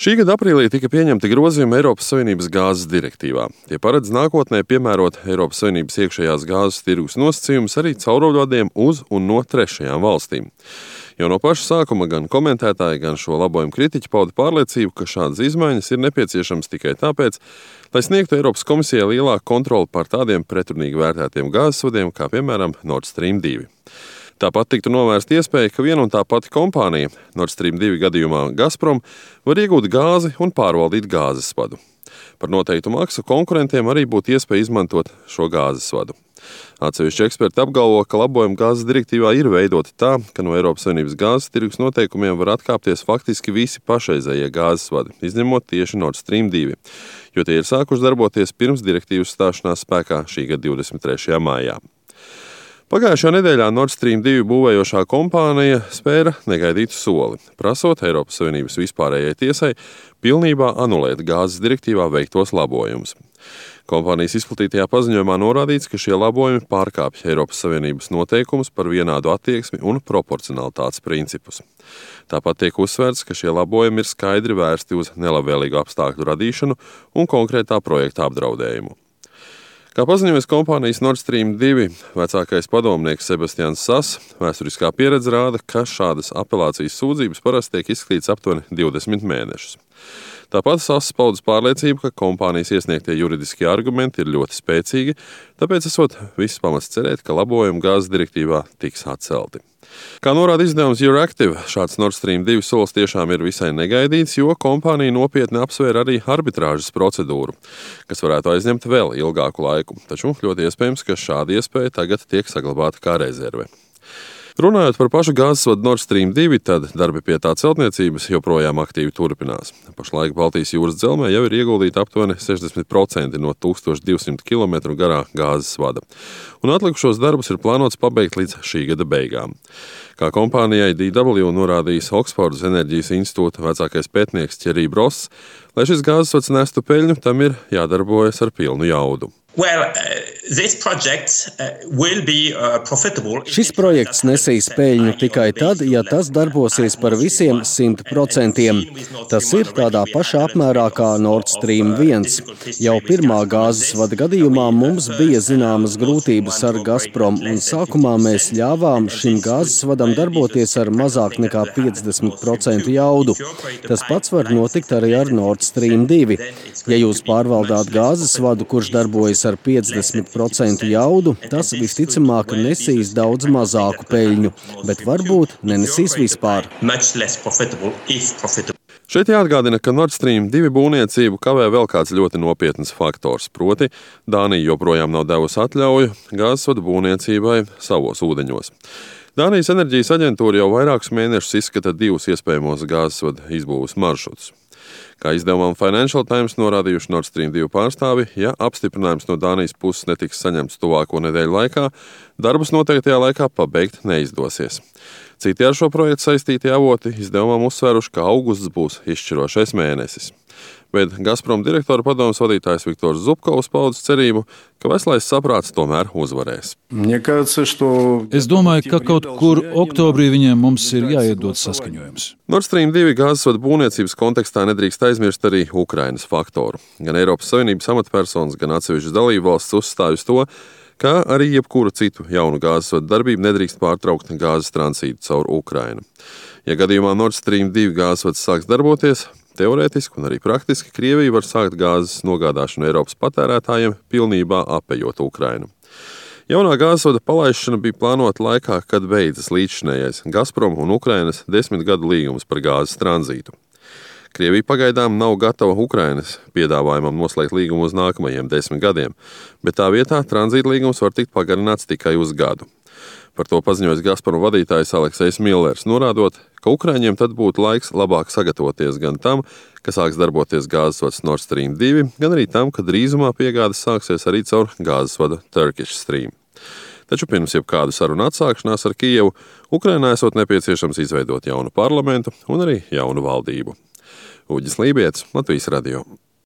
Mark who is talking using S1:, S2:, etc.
S1: Šī gada aprīlī tika pieņemti grozījumi Eiropas Savienības gāzes direktīvā. Tie paredz nākotnē piemērot Eiropas Savienības iekšējās gāzes tirgus nosacījumus arī cauruļvadiem uz un no trešajām valstīm. Jau no paša sākuma gan komentētāji, gan šo labojumu kritiķi pauda pārliecību, ka šādas izmaiņas ir nepieciešamas tikai tāpēc, lai sniegtu Eiropas komisijai lielāku kontroli pār tādiem pretrunīgi vērtētiem gāzes vadiem, kā piemēram Nord Stream 2. Tāpat tiktu novērsta iespēja, ka viena un tā pati kompānija, Nord Stream 2 gadījumā Gazprom, var iegūt gāzi un pārvaldīt gāzes vadu. Par noteiktu maksu konkurentiem arī būtu iespēja izmantot šo gāzes vadu. Atsevišķi eksperti apgalvo, ka labojumi gāzes direktīvā ir veidoti tā, ka no Eiropas Savienības gāzes tirgus noteikumiem var atkāpties faktiski visi pašreizējie gāzes vadi, izņemot tieši Nord Stream 2, jo tie ir sākuši darboties pirms direktīvas stāšanās spēkā šī gada 23. maijā. Pagājušajā nedēļā Nord Stream 2 būvējošā kompānija spēra negaidītu soli, prasot Eiropas Savienības vispārējai tiesai pilnībā anulēt gāzes direktīvā veiktos labojumus. Kompānijas izplatītajā paziņojumā norādīts, ka šie labojumi pārkāpj Eiropas Savienības noteikumus par vienādu attieksmi un proporcionalitātes principus. Tāpat tiek uzsvērts, ka šie labojumi ir skaidri vērsti uz nelabvēlīgu apstākļu radīšanu un konkrētā projekta apdraudējumu. Kā paziņojas kompānijas Nord Stream 2 vecākais padomnieks Sebastians Sass, vēsturiskā pieredze rāda, ka šādas apelācijas sūdzības parasti tiek izskatītas aptuveni 20 mēnešus. Tāpat Sass paudas pārliecību, ka kompānijas iesniegtie juridiskie argumenti ir ļoti spēcīgi, tāpēc esot viss pamats cerēt, ka labojumi gāzes direktīvā tiks atcelti. Kā norāda izdevums Euractiv, šāds Nord Stream 2 solis tiešām ir visai negaidīts, jo kompānija nopietni apsvēra arī arbitrāžas procedūru, kas varētu aizņemt vēl ilgāku laiku, taču ļoti iespējams, ka šāda iespēja tagad tiek saglabāta kā rezerve. Runājot par pašu gāzes vadu Nord Stream 2, tad darbi pie tā celtniecības joprojām aktīvi turpinās. Pašlaik Baltijas jūras dzelzmē jau ir ieguldīti aptuveni 60% no 1200 km garā gāzes vada, un atlikušos darbus ir plānots pabeigt līdz šī gada beigām. Kā kompānijai DW norādījis Oksfordas enerģijas institūta vecākais pētnieks Thierry Bross, lai šis gāzes vads nestu peļņu, tam ir jādarbojas ar pilnu jaudu.
S2: Šis projekts nesīs peļņu tikai tad, ja tas darbosies par visiem 100%. Tas ir tādā pašā apmērā kā Nord Stream 1. Jau pirmā gāzes vada gadījumā mums bija zināmas grūtības ar Gazprom, un sākumā mēs ļāvām šim gāzes vadam darboties ar mazāk nekā 50% jaudu. Tas pats var notikt arī ar Nord Stream 2. Ja jūs pārvaldāt gāzes vadu, kurš darbojas ar 50% jaudu, tas visticamāk nesīs daudz mazāku peļņu, bet varbūt nenesīs vispār.
S1: Šeit jāatgādina, ka Nord Stream 2 būvniecību kavē vēl kāds ļoti nopietns faktors, proti Dānija joprojām nav devusi atļauju gāzes vadu būvniecībai savos ūdeņos. Dānijas enerģijas aģentūra jau vairākus mēnešus izskata divus iespējamos gāzes vadu izbūves maršrutus. Kā izdevumam Financial Times norādījuši Nord Stream 2 pārstāvi, ja apstiprinājums no Dānijas puses netiks saņemts tuvāko nedēļu laikā, darbus noteiktajā laikā pabeigt neizdosies. Citi ar šo projektu saistītie avoti izdevumam uzsvēruši, ka augusts būs izšķirošais mēnesis. Bet Gazprom direktora padomes vadītājs Viktors Zubkovs paudis cerību, ka veselais saprāts tomēr uzvarēs.
S3: Es domāju, ka kaut kur oktobrī mums ir jāiedod saskaņojums.
S1: Nord Stream 2 gāzes vadu būvniecības kontekstā nedrīkst aizmirst arī Ukrainas faktoru. Gan Eiropas Savienības amatpersonas, gan atsevišķas dalībvalstis uzstāj uz to, ka arī jebkuru citu jaunu gāzes vadu darbību nedrīkst pārtraukt gāzes transītu caur Ukrainu. Ja gadījumā Nord Stream 2 gāzes vads sāks darboties, teorētiski un arī praktiski Krievija var sākt gāzes nogādāšanu Eiropas patērētājiem, pilnībā apejot Ukrainu. Jaunā gāzes vada palaišana bija plānota laikā, kad beidzas līdzšinējais Gazprom un Ukrainas 10 gadu līgums par gāzes tranzītu. Krievija pagaidām nav gatava Ukrainas piedāvājumam noslēgt līgumu uz nākamajiem 10 gadiem, bet tā vietā tranzīta līgums var tikt pagarināts tikai uz gadu. Par to paziņojas Gazprom vadītājs Aleksejs Millers, norādot, ka Ukraiņiem tad būtu laiks labāk sagatavoties gan tam, ka sāks darboties gāzes vads Nord Stream 2, gan arī tam, ka drīzumā piegādes sāksies arī caur gāzes vadu Turkish Stream. Taču pirms jebkādu sarunu atsākšanās ar Kijevu, Ukrainā esot nepieciešams izveidot jaunu parlamentu un arī jaunu valdību. Uģis Lībietis, Latvijas radio.